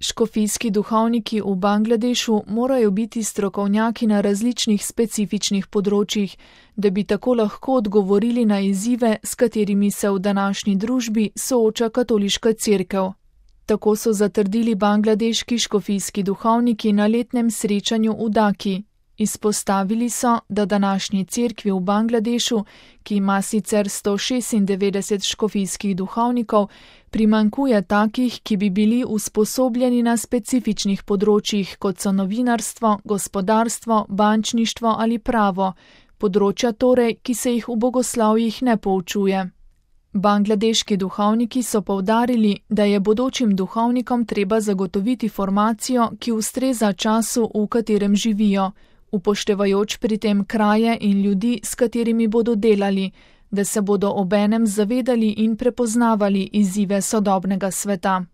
Škofijski duhovniki v Bangladešu morajo biti strokovnjaki na različnih specifičnih področjih, da bi tako lahko odgovorili na izzive, s katerimi se v današnji družbi sooča katoliška cerkev. Tako so zatrdili bangladeški škofijski duhovniki na letnem srečanju v Daki. Izpostavili so, da današnji cerkvi v Bangladešu, ki ima sicer 196 škofijskih duhovnikov, primanjkuje takih, ki bi bili usposobljeni na specifičnih področjih, kot so novinarstvo, gospodarstvo, bančništvo ali pravo, področja torej, ki se jih v bogoslovjih ne poučuje. Bangladeški duhovniki so poudarili, da je bodočim duhovnikom treba zagotoviti formacijo, ki ustreza času, v katerem živijo, upoštevajoč pri tem kraje in ljudi, s katerimi bodo delali, da se bodo obenem zavedali in prepoznavali izzive sodobnega sveta.